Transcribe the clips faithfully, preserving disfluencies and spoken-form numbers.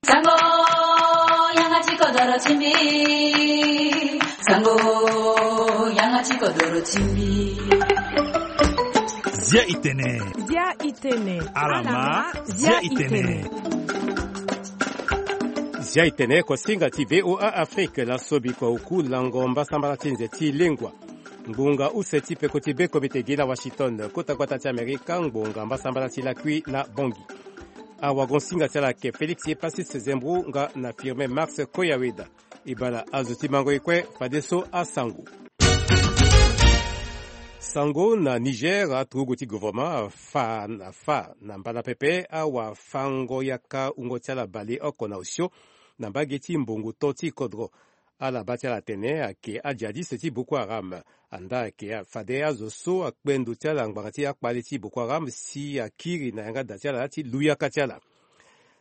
Sango, yanga ti kodoro ti mbi. Sango, yanga ti kodoro ti mbi. Zia itene. Zia itene. Alama, zia itene. Zia itene, kosinga ti V O A Afrique, laso biko uku lango mbasambala ti nze ti lengua. Ngbonga use ti peko ti be komite gi na Washington, kota gbata ti Amerika, ngbonga mbasambala ti lakui na Bangui. Awagon singa ti ala ayeke Félix Epasis Zembrou nga na Firmin Marx Koyaweda. E baa na azo ti mango e kue, fadeso asango. Sango na Niger, aturugu ti gouvernement afa na fa na mbala pepe awafango yaka wungo ti ala baleoko na osio na mbage ti mbongo to ti kodro. Ala baa ti ala atene ayeke ajihadiste ti Boko Haram. Andaa ayeke fade azo so akpe ndo ti ala ngbanga ti akpale ti Boko Haram si akiri na yanga da ti ala ti lu yaka ti ala.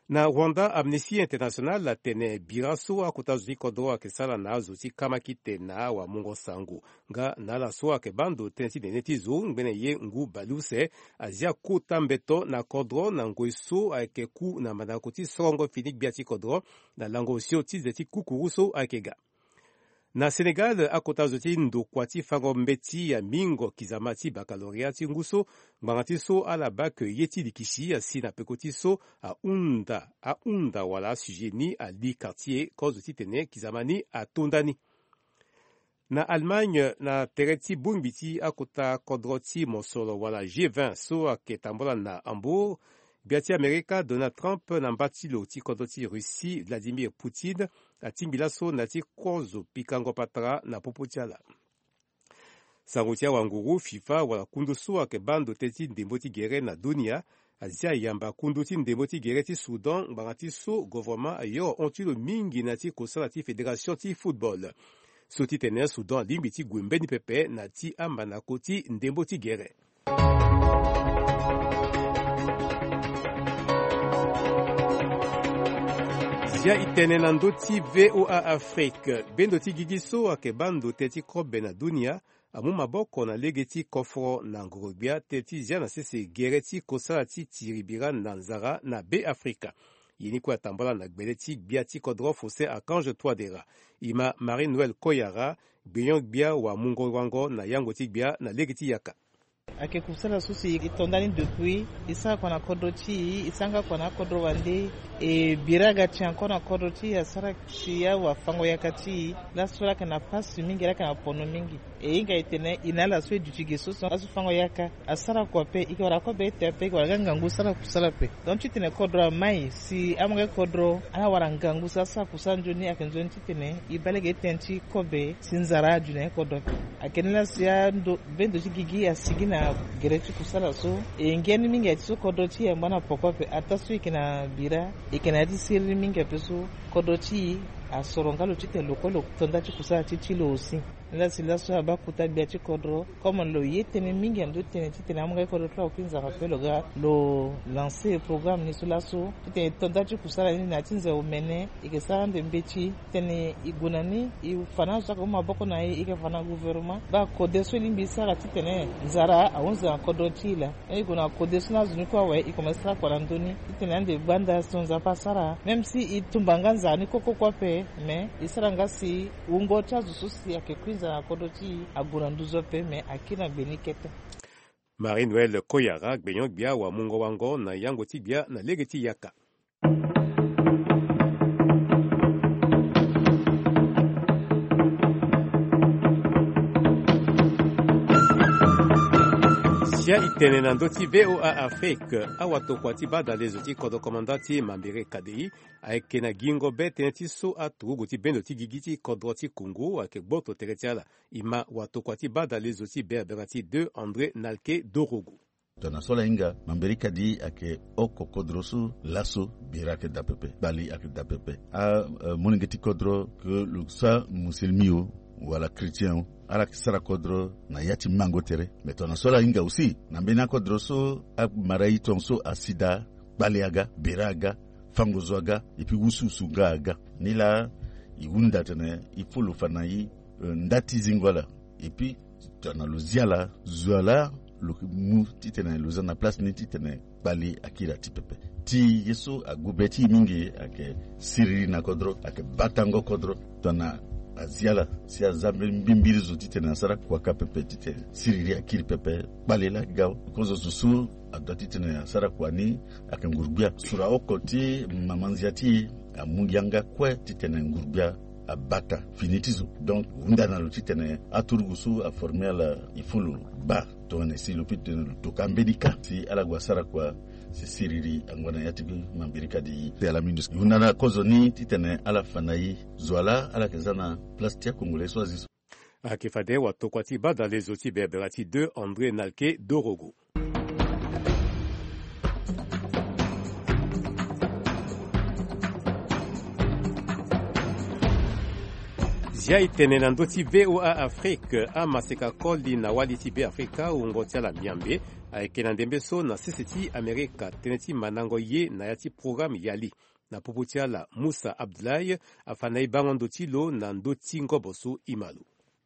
Na Rwanda, Amnesty International atene bira so akota zo ti kodro ayeke sara na azo ti kamakite na awamungo sango nga na ala so ayeke baa ndo tënë ti nene ti zo ngbene ye ngu bale use, azia kota mbeto na kodro na ngoi so ayeke ku na mandako ti sorongo fini gbia ti kodro na lango osio ti ze ti kukuru so ayeke ga. Na Sénégal, akota zo ti ndokua ti fango mbeti amingo kizama ti baccalauréat ti ngu so, ngbanga ti so ala baa ke ye ti likisi asi na peko ti so ahunda, ahunda wala asujet ni ali quartier kozo titene kizama ni atonda ni. Na Allemagne, na tere ti bongbi ti akota kodro ti mosoro wala G vingt so ayeke tambula na Hambourg, gbia ti Amerika Donald Trump na mba ti lo ti kodro ti Russie Vladimir Poutine atingbi laso na ya ti kozo pikango patara na popo ti ala. Sango ti awanguru FIFA wala kundu so ayeke baa ndo tënë ti ndembo ti gere na dunia azia yamba kundu ti ndembo ti gere ti Soudan ngbanga ti so gouvernement ayoro hon ti lo mingi na ya ti kosala ti fédération ti football. So titene Soudan alingbi ti gue mbeni pepe na ya ti amandako ti ndembo ti gere. Zia itene na ndö ti V O A Afrique. Bendo ti gigi so ayeke baa ndo tënë ti kobe na dunia amu maboko na lege ti koforo na ngoro-gbia tënë ti zia na sese gere ti kosala ti tiri bira na nzara na Be Afrika. Ye ni kue atambula na gbele ti gbia ti kodro Faustin Archange Touadéra. E ma Marie Noël Koyara, gbenyo-gbia wamungo-wango na yango ti gbia na lege ti yaka. Ayeke kusala so si e to ndani depuis, e sara kua na kodro ti e, e sara nga kua na akodro wande, e bira aga ti e encore na kodro ti e, asara si awafango yaka ti e. Laso ala yeke na pasi mingi, ala yeke na pono mingi. E hinga e tene e na ala so e duti ge so so, laso fango yaka asara kua ape, e yeke wara kobe ete ape, e yeke wara nga ngangu sara kusala ape. Donc titene kodro amai si amolenge kodro ala wara ngangu si asara kusala nzoni, ayeke nzoni titene e baa lege tënë ti kobe si nzara adu na kodro ape. Ayeke ni laa si ando, bendo ti gigi asigi na gere ti kusala so. E ngia ni mingi aye ti so kodro ti e angba na poko ape. Ataa so e yeke na bira, e yeke na ya ti siriri mingi ape so kodro ti e asoro nga lo titene lo kue lo to nda ti kusala ti ti lo aussi. Ni laa si laso abaa kota gbia ti kodro, comme lo ye tënë mingi na ndö ti tënë titene amolenge kodro ti lo akokui nzara ape, lo ga lo lancer programme ni so laso titene e to nda ti kusala ni na ya ti nze omene. E yeke sara ande mbeti titene e gue na ni, e fa na azo so ayeke mu maboko na e, e yeke fa na gouvernement, baa kode so e lingbi e sara titene nzara ahunzi na kodro ti e laa. E gue na kode so na azo ni kue awe, e komanse sara kua na ndö ni titene ande gbanda so Nzapa asara, même si e tumba nga nzara ni koko kue ape, mais e sara nga si wungo ti azo so si ayeke kui nzara na kodro ti e ague na nduzu ape, mais akiri na gbe ni kete. Marie Noël Koyara, gbenyo-gbia wamungo-wango na yango ti gbia na lege ti yaka. Sia e tene na ndö ti V O A Afrique, awatokua ti badalezo ti kodro komanda ti Mambere K D I ayeke na gingo be tënë ti so aturugu ti bendo ti gigi ti kodro ti Congo ayeke gboto tere ti ala. E ma watokua ti badalezo ti berabera ti deux, André Nalke Dorogo. Tongana so ala hinga, Mambere K D I ayeke oko kodro so laso bira ayeke daa pepe, kpali ayeke daa pepe. A, eh, molenge ti kodro, ke lo sara musulmi o wala chrétien o, ala yeke sara kodro na ya ti mango tere. Me tongana so ala hinga aussi, na mbeni akodro so amara e tongaso asi daa, kpali aga, bira aga, fango zo aga, et puis wusuwusu nga aga. Ni laa e hunda atene il faut lo fa na e, eh, nda ti zingo ala. Et puis tongana lo zi ala, zo ala, lo mu titene lo za na place ni titene kpali akiri ati pepe. Ti ye so ague be ti e mingi ayeke siriri na kodro, ayeke batango kodro. Tongana azi ala si aza mbi- mbi- mbiri zo titene asara kua ka pepe titene siriri akiri pepe. Kpale laa ga kozo zo so adoit titene asara kua ni ayeke nguru-gbia. Sura oko ti mama nzia ti e amu yanga kue titene nguru-gbia abata fini ti zo. Donc hunda na lo titene aturugu so aforme ala, il faut lo baa tongana si lo peut titene lo toka mbeni ka si ala gue asara kua si siriri ango na ya ti mabirika di e. Ala mingi hunda na kozo ni titene ala fa na e zo wa laa ala yeke za na place ti akongolais so azi so. Ayeke fade watokua ti badalezo ti berbera ti deux André Nalke Dorogo. Zia e tene na ndö ti V O A Afrique, amaseka koli na wali ti Beafrika wungo ti ala miambe ayeke na ndembe so na sese ti Amerika. Tënë ti mandango ye na ya ti programme Yali na popo ti ala, Moussa Abdoulaye afa na e bango ndo ti lo na ndö ti ngobo so e ma lo.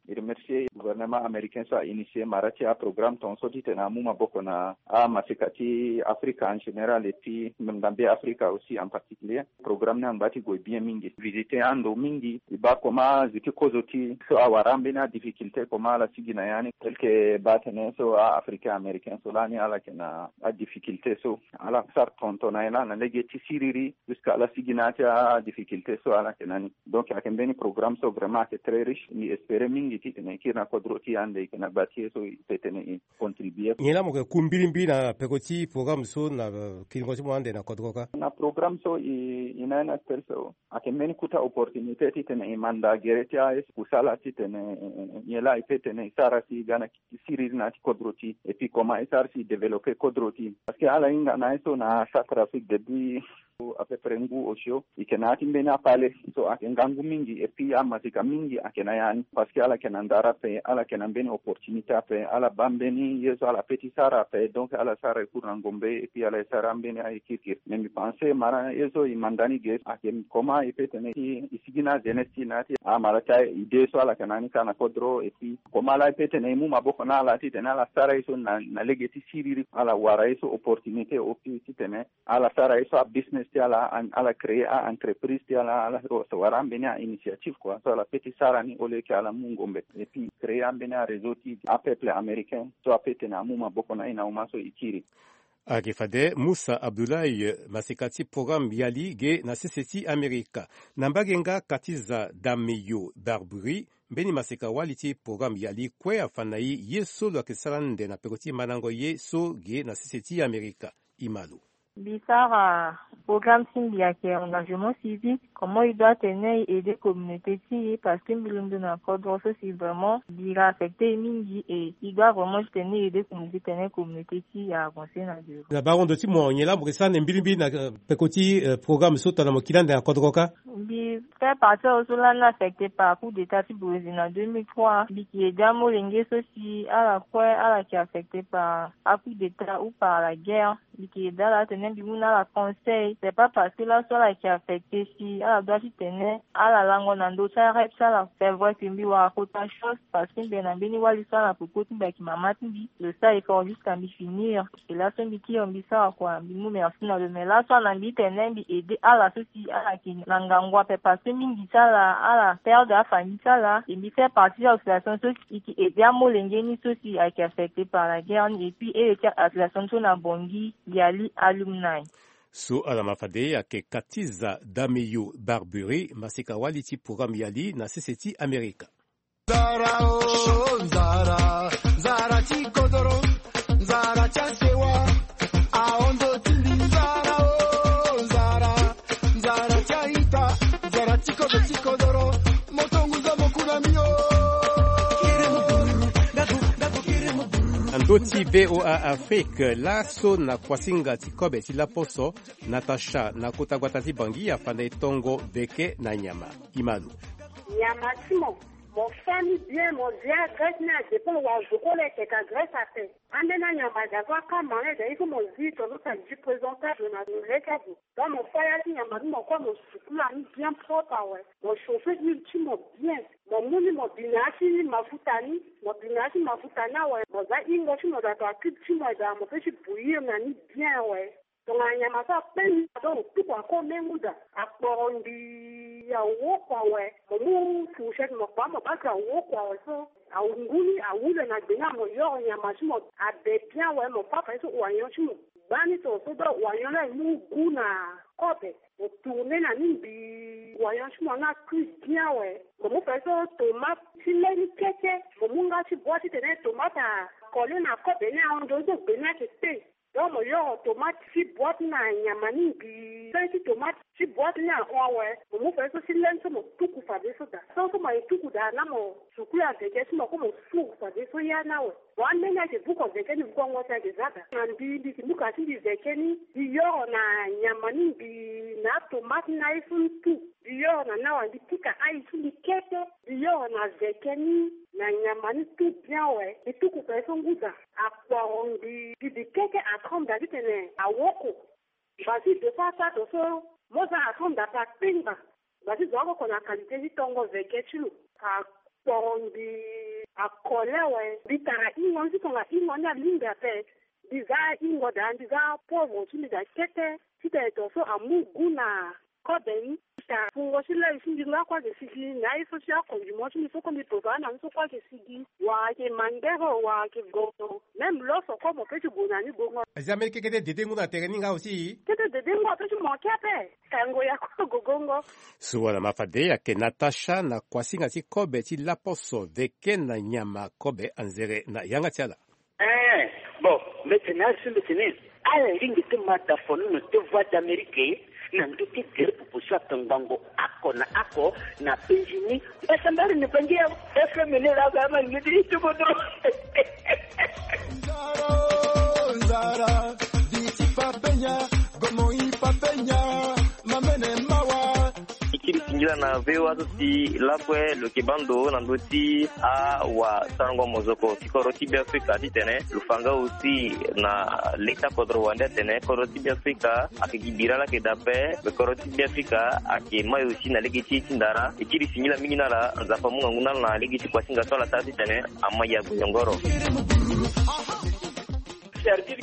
E remercier gouvernement américain so a initier mara ti aprogramme tongaso titene amu maboko na amaseka ti Afrika en général et puis même na Beafrika aussi en particulier. Programme ni angba ti gue bien mingi, visiter ando mingi, e baa comment azo ti kozo ti so awara ambeni adifficulté, comment ala sigi na ya ni, tel que baa tene so a-Africain américain so lani ala yeke na adifficulté so, ala sara tongaso na e laa na lege ti siriri jusqu'à ala sigi na ya ti adifficulté so ala yeke na ni. Donc ayeke mbeni programme so vraiment ayeke très riche. Mbi espérer mingi titene e kiri na kodro ti e ande e yeke na gba ti e so e peut tene e contribuer. Nyen laa mo yeke ku mbirimbiri na peko ti programme so na, euh, kiringo ti mo ande na kodro kâ? Na programme so e, e na ye na tel so ayeke mbeni kota opportunité titene e manda gere ti aye so kusala titene, eh, eh, nyen laa e peut tene e sara si e ga na siriri na ya ti kodro ti e, et puis comment e sara si e développer kodro ti e. Parce que ala hinga na ye so na Centrafrique depuis à peu près ngu osio, e yeke na ya ti mbeni apale so ayeke ngangu mingi, et puis amaseka mingi ayeke na ya ni. Parce que ala yeke na ndara ape, ala yeke na mbeni opportunité ape, ala baa mbeni ye so ala peut ti sara ape, donc ala sara e kuru na ngombe, et puis ala e sara ambeni aye kirikiri. Mais mbi pense mara ye so e manda ni ge ayeke comment e peut tene e, e sigi na ajeunesse ti e na ya ti amara ti aye idée so ala yeke na ni kâ na kodro, et puis comment laa e peut tene e mu maboko na ala titene ala sara ye so na, na lege ti siriri, ala wara ye so opportunité au plus titene ala sara ye so abusiness ti ala, an-, ala créer a-entreprise ti ala, ala wara ambeni a-initiative quoi, so ala peut ti sara ni au lieu que ala mu ngombe. Et puis créer ambeni aréseau ti apeuple américain so apeut tene amu maboko na e na uma so e kiri. Ayeke fade Moussa Abdoulaye, maseka ti programme Yali ge na sese ti Amerika. Na mbage nga Katiza Dameyo Barburi, mbeni maseka wali ti programme Yali kue afa na e ye so lo yeke sara ande na peko ti mandango ye so ge na sese ti Amerika. E ma lo. Mbi sara programme ti mbi ayeke engagement civique, comment e doit tene e aider communauté ti e, parce que mbi londo na kodro so si vraiment bira affecté e mingi, et e doit vraiment titene e aider communauté titene communauté ti e avancer na devant. Na bango ndo ti mo, nyen laa mo yeke sara ande mbirimbiri na, euh, peko ti, euh, programme so tongana mo kiri ande na kodro kâ? Mbi fait partie so lani affecté par coup d'état ti Brésil na deux mille trois. Mbi yeke aider amolenge so si ala kue ala yeke affecté par a coup d'état ou par la guerre. Mbi yeke aider ala titene mbi mu na ala conseil. C'est pas parce que laso ala yeke affecté si ala doit titene ala lango na ndö ti arêve ti ala. C'est vrai que mbi wara kota chose parce que mbi yeke na mbeni wali so ala peko ti mbi ayeke mama ti mbi. Lo sara effort jusqu'à mbi finir. Et laso mbi kiri mbi sara kua, mbi mu merci na lo. Mais laso ala na mbi titene mbi aider ala so si ala yeke na ngangu ape, parce que mingi ti ala, ala perdre afamille ti ala. Et mbi fait partie ti association so si e yeke aider amolenge ni so si ayeke affecté par la guerre ni, et puis e yeke association so na Bangui, Yali Alumni. So ala ma fade ayeke Katiza Dameyo Barburi, maseka wali ti programme Yali na sese ti Amerika. Nzara o, nzara, nzara ti kodoro, nzara ti asewa, ahon ndo ti mbi. Nzara o, nzara, nzara ti a-ita, nzara ti kodro ti kodoro, mo tonguza mo ku na mbi o. Na ndö ti V O A Afrique, laso na kuasinga ti kobe ti laposo, Natacha na kota gbata ti Bangui afa na e tongo veke na nyama. E ma lo. Nyama ti mo, mo fa ni bien, mo via graisse ni adépend wa zo kue lo yeke ka graisse ape. Ambeni anyama ga so akama ni aye ga, il faut mo zi tongaso adi présentable na lo lege azo. Donc mo fa ya ti nyama ti mo kue, mo sukula ni bien propre awe. Mo chauffer huile ti mo bien. Mo mu ni mo bi na ya ti mafuta ni, mo bi na ya ti mafuta ni awe. Mo za hingo ti mo daa to acube ti mo daa, mo peut ti bouillir na ni bien awe. Tongana nyama so akpe ni, ado mo tuku ako me nguda. Akporo ngbii awoko awe. Mo mu fourchette mo kpa mo baa ti awoko awe so. Angu ni awu le na gbe ni, mo yoro nyama ti mo abe bien awe, mo fâ fa ye so oignon ti mo. Gbani tongaso do oignon ni amu gu na kobe. Mo tourner na ni ngbii oignon ti mo ni acui bien awe. Mo mu fa ye so tomate ti le ni kete. Mo mu nga ti bois titene tomate acolle na kobe ni ahon ndo so gbe ni ayeke te. Donc mo yoro tomate ti boîte na nyama ni ngbii. Feuille ti tomate ti boîte ni ahon awe. Mo mu fa ye so ti le ni so mo tuku fadeso daa. So so mo ye tuku daa na mo sukulu aveke ti mo ko mo suru fadeso ya ni awe. Mo ambeni ayeke buko veke ni bukongo ti ayeke za daa. Na mbi mbi yeke mu ka ti mbi veke ni, mbi yoro na nyama ni ngbii na atomate ni na aye so ni tu. Mbi yoro na ni awe, mbi pika ail ti mbi kete. Mbi yoro na veke ni na nyama ni tu bien awe. Mbi tuku fa ye so nguda. Akporo ngbii, mbi keke atremble daa titene awoko. Basi deux fois ça to so mo za atremble daa pe akpengba. Basi zo akoko na qualité ti tongo veke ti lo. Akporo ngbii, akole awe. Mbi tara ingo ni ti tongana ingo ni alingbi ape. Mbi za ingo daa, mbi za poivre ti mbi daa kete. Titene to so amu gu na kobe ni. Tara fungo ti lai ti mbi nga kue ayeke sigi na ye so ti akondiment ti mbi so kue mbi prépare na ni so kue ayeke sigi. Wala ayeke mangbere, wala ayeke gondo. Même loso kue mo peut ti gue na ni gongo. Aza mbeni keke ti dede ngu na tere ni nga aussi. Kete dede ngu apeut ti manquer ape. Kango ya kue gogongo. So wala ma fade ayeke Natacha na kuasinga ti kobe ti laposo veke na nyama kobe anzere na yanga ti ala. Eh, bon, mbeti ni asi mbeti ni. Ala lingbi ti ma da fonono ti Voix d'Amérique na ndö ti gere popo so atongbango oko na oko na penzi ni. Mbeti mbari ni bangi ya F M ni la ga ma ni ti ti bodo. Nzara, nzara, di ti papenya, gomo i papenya, mamene mawa. E kiri singila na V O A so si lakue lo yeke baa ndo na ndö ti awasarango mozoko ti kodro ti Beafrika titene lo fa nga aussi na leta kodro wande atene kodro ti Beafrika ayeke gi bira laa ayeke daa ape. Kodro ti Beafrika ayeke mai aussi na lege ti ye ti ndara. E kiri singila mingi na ala, Nzapa amu ngangu na ala na lege ti kuasinga so ala sara titene amai ague yongoro. C'est-à-dire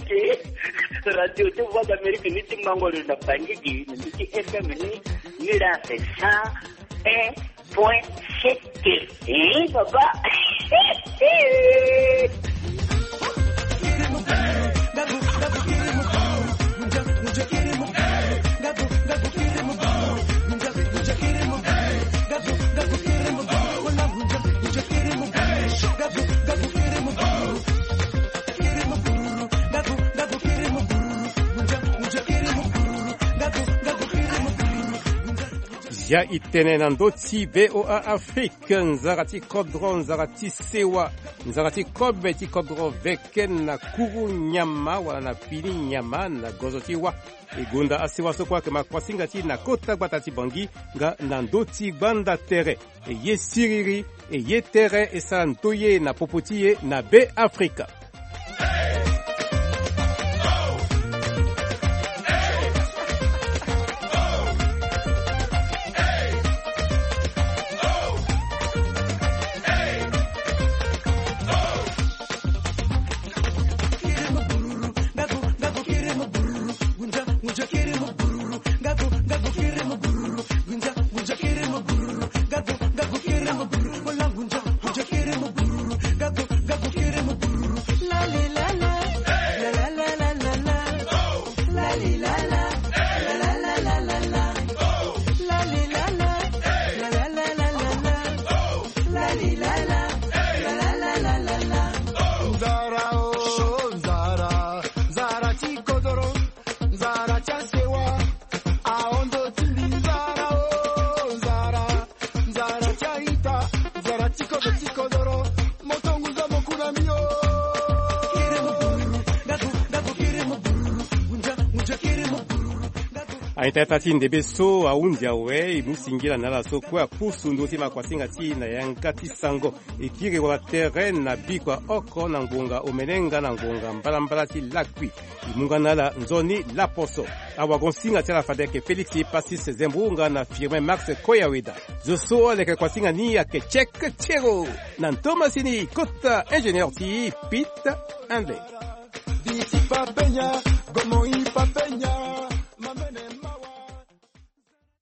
que radio ti Voix d'Amérique ni ti mango lo na Bangui gi, ni ti F M ni, ni la c'est cent un point sept. Eh, papa. Zia e tene na ndö ti V O A Afrique, nzara ti kodro, nzara ti sewa, nzara ti kobe ti kodro veke na kuru nyama wala na fini nyama na gozo ti wa. E gonda asewa so kue ayeke ma kuasinga ti e na kota gbata ti Bangui nga na ndö ti gbanda tere. E ye siriri, e ye tere, e sara ndoye na popo ti e na Beafrika. Nzara o, nzara, nzara ti kodoro, nzara ti asewa, ahondo ti mbi nzara o, nzara, nzara ti a-ita, nzara ti kodo ti kodoro, moto ngu zo mo ku na mbi o. A-ita-ita ti ndembe so ahunzi awe, e mu singila na ala so kue apusu ndö ti makuasinga ti e na yanga ti sango. E kiri wala tere na biko ya oko na ngonga omene nga na ngonga mbalambala ti lakui. E mu nga na ala nzoni laposo. Awagon-singa ti ala fade ayeke Félix Passis Zembourou nga na Firmin Max Koyaweda. Zo so aleke kuasinga ni ayeke Cheikh Thiero. Na ndo masini kota ingénieur ti Pete Handley. Comment il peut faire?